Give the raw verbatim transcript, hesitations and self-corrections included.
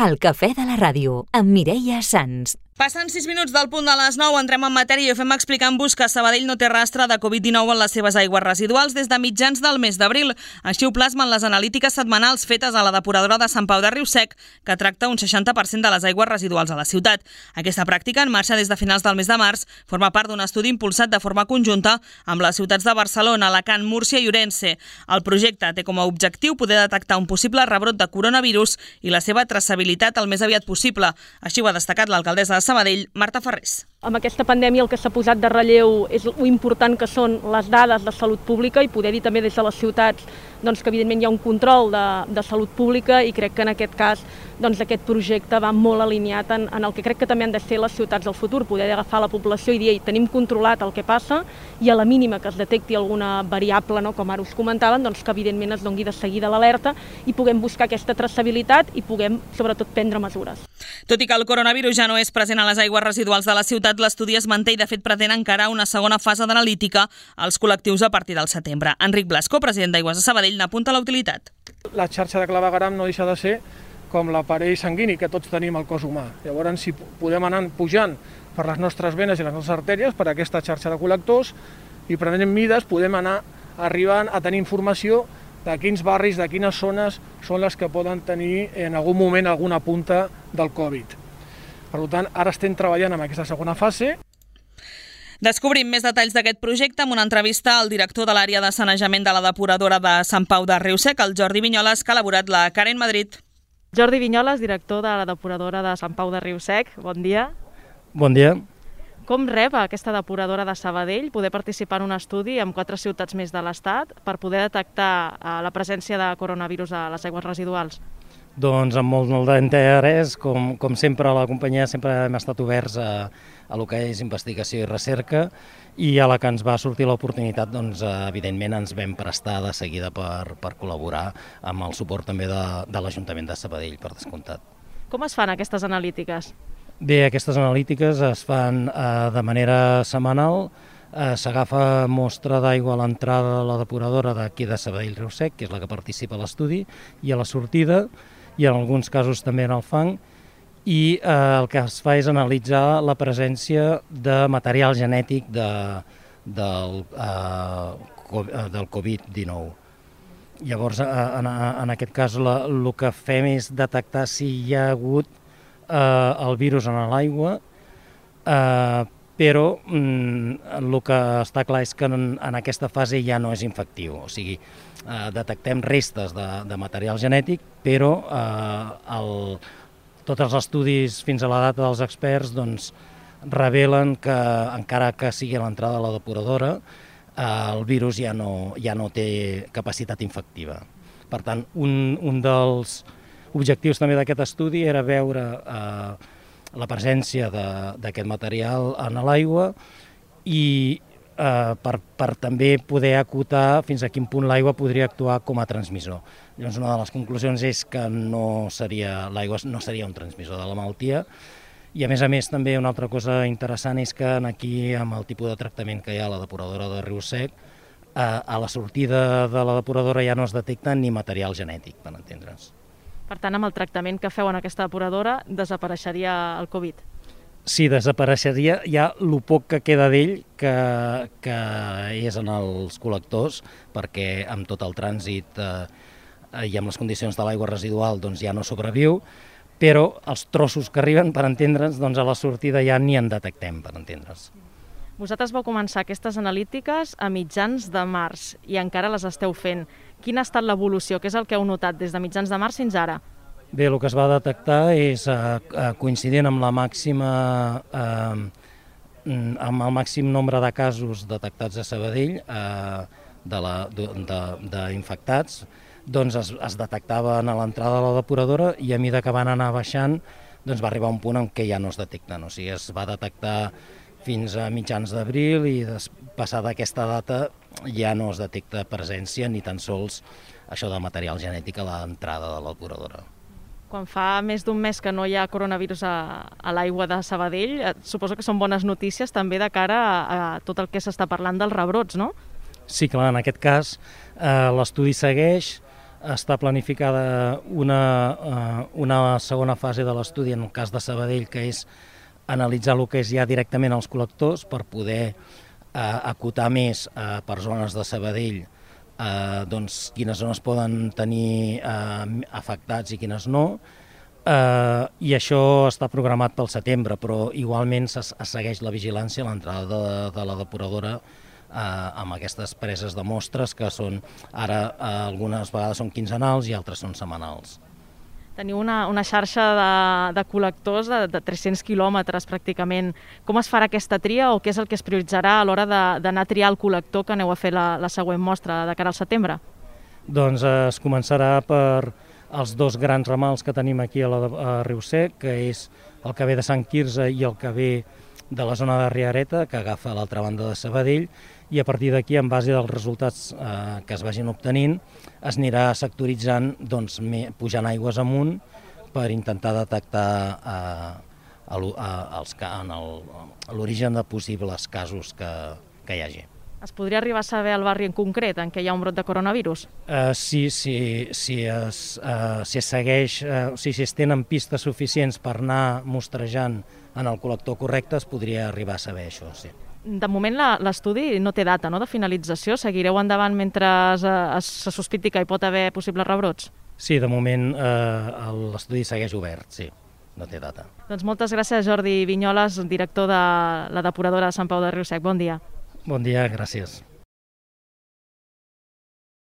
El cafè de la ràdio, amb Mireia Sans. Passen sis minuts del punt de les nou, entrem en matèria i ho fem explicant-vos que Sabadell no té rastre de covid dinou en les seves aigües residuals des de mitjans del mes d'abril. Així ho plasmen les analítiques setmanals fetes a la depuradora de Sant Pau de Riu-sec, que tracta un seixanta per cent de les aigües residuals a la ciutat. Aquesta pràctica, en marxa des de finals del mes de març, forma part d'un estudi impulsat de forma conjunta amb les ciutats de Barcelona, Alacant, Múrcia i Ourense. El projecte té com a objectiu poder detectar un possible rebrot de coronavirus i la seva traçabilitat el més aviat possible. Així ho ha destacat l'alcaldessa de Sabadell, Marta Ferrés. Amb aquesta pandèmia el que s'ha posat de relleu és lo important que són les dades de salut pública i poder dir també des de les ciutats doncs, que evidentment hi ha un control de, de salut pública i crec que en aquest cas doncs, aquest projecte va molt alineat en, en el que crec que també han de ser les ciutats del futur, poder agafar la població i dir ei, tenim controlat el que passa i a la mínima que es detecti alguna variable, no, com ara us comentaven, doncs, que evidentment es doni de seguida l'alerta i puguem buscar aquesta traçabilitat i puguem sobretot prendre mesures. Tot i que el coronavirus ja no és present a les aigües residuals de la ciutat, l'estudi es manté i de fet pretén encarar una segona fase d'analítica als col·lectius a partir del setembre. Enric Blasco, president d'Aigües de Sabadell, n'apunta la utilitat. La xarxa de clavegueram no deixa de ser com l'aparell sanguini que tots tenim al cos humà. Llavors, si podem anar pujant per les nostres venes i les nostres artèries, per aquesta xarxa de col·lectors, i prenent mides podem anar arribant a tenir informació de quins barris, de quines zones són les que poden tenir en algun moment alguna punta del Covid. Per tant, ara estem treballant en aquesta segona fase. Descobrim més detalls d'aquest projecte amb una entrevista al director de l'àrea de sanejament de la depuradora de Sant Pau de Riu-sec, el Jordi Vinyoles, que ha elaborat la Karen Madrid. Jordi Vinyoles, director de la depuradora de Sant Pau de Riu-sec, bon dia. Bon dia. Com rep aquesta depuradora de Sabadell poder participar en un estudi amb quatre ciutats més de l'Estat per poder detectar la presència de coronavirus a les aigües residuals? Doncs amb molt, molt d'interès, com, com sempre a la companyia sempre hem estat oberts a, a lo que és investigació i recerca i a la que ens va sortir l'oportunitat, doncs evidentment ens vam prestar de seguida per, per col·laborar amb el suport també de, de l'Ajuntament de Sabadell, per descomptat. Com es fan aquestes analítiques? Bé, aquestes analítiques es fan eh, de manera setmanal, eh, s'agafa mostra d'aigua a l'entrada de la depuradora d'aquí de Sabadell-Riu-sec, que és la que participa a l'estudi, i a la sortida, i en alguns casos també en el fang, i eh, el que es fa és analitzar la presència de material genètic de, del, eh, del covid dinou. Llavors, en, en aquest cas, la, el que fem és detectar si hi ha hagut eh, el virus en l'aigua, eh, però mm, el que està clar és que en, en aquesta fase ja no és infectiu, o sigui, eh, detectem restes de, de material genètic, però eh, el, tots els estudis fins a la data dels experts doncs, revelen que, encara que sigui a l'entrada de la depuradora, eh, el virus ja no, ja no té capacitat infectiva. Per tant, un, un dels objectius també d'aquest estudi era veure eh, la presència d'aquest material en l'aigua i eh, per, per també poder acotar fins a quin punt l'aigua podria actuar com a transmissor. Llavors, una de les conclusions és que no seria, l'aigua no seria un transmissor de la malaltia i, a més a més, també una altra cosa interessant és que aquí, amb el tipus de tractament que hi ha a la depuradora de Riu-sec, eh, a la sortida de la depuradora ja no es detecta ni material genètic, per entendre's. Per tant, amb el tractament que feu en aquesta depuradora, desapareixeria el Covid? Sí, desapareixeria ja el poc que queda d'ell, que, que és en els col·lectors, perquè amb tot el trànsit eh, i amb les condicions de l'aigua residual doncs ja no sobreviu, però els trossos que arriben, per entendre'ns, doncs a la sortida ja ni en detectem, per entendre'ns. Vosaltres vau començar aquestes analítiques a mitjans de març i encara les esteu fent. Quina ha estat l'evolució? Què és el que heu notat des de mitjans de març fins ara? Bé, el que es va detectar és eh, coincidint amb la màxima, eh, amb el màxim nombre de casos detectats a Sabadell, eh, d'infectats, doncs es, es detectaven a l'entrada de la depuradora i a mesura que van anar baixant doncs va arribar un punt en què ja no es detecten. O sigui, es va detectar fins a mitjans d'abril i passada aquesta data ja no es detecta presència ni tan sols això de material genètic a l'entrada de la depuradora. Quan fa més d'un mes que no hi ha coronavirus a, a l'aigua de Sabadell, suposo que són bones notícies també de cara a, a tot el que s'està parlant dels rebrots, no? Sí, clar, en aquest cas eh, l'estudi segueix, està planificada una, una segona fase de l'estudi en el cas de Sabadell, que és analitzar el que és ja directament els col·lectors per poder acotar més per zones de Sabadell doncs quines zones poden tenir afectats i quines no. I això està programat pel setembre, però igualment es segueix la vigilància a l'entrada de la depuradora amb aquestes preses de mostres que són ara algunes vegades són quinzenals i altres són setmanals. Teniu una, una xarxa de, de col·lectors de, de tres-cents quilòmetres pràcticament. Com es farà aquesta tria o què és el que es prioritzarà a l'hora d'anar a triar el col·lector que aneu a fer la, la següent mostra de cara al setembre? Doncs es començarà per els dos grans ramals que tenim aquí a, la, a Riu-sec, que és el que ve de Sant Quirze i el que ve de la zona de Riareta, que agafa a l'altra banda de Sabadell, i a partir d'aquí, en base dels resultats eh, que es vagin obtenint, es anirà sectoritzant, doncs, pujant aigües amunt per intentar detectar eh, l'origen de possibles casos que, que hi hagi. Es podria arribar a saber el barri en concret en què hi ha un brot de coronavirus? Uh, sí, sí, sí, es, uh, si es segueix, uh, si, si es tenen pistes suficients per anar mostrejant en el col·lector correcte, es podria arribar a saber això, sí. De moment l'estudi no té data, no?, de finalització. Seguireu endavant mentre se sospiti que hi pot haver possibles rebrots? Sí, de moment eh, l'estudi segueix obert, sí, no té data. Doncs moltes gràcies, Jordi Vinyoles, director de la depuradora de Sant Pau de Riu-sec. Bon dia. Bon dia, gràcies.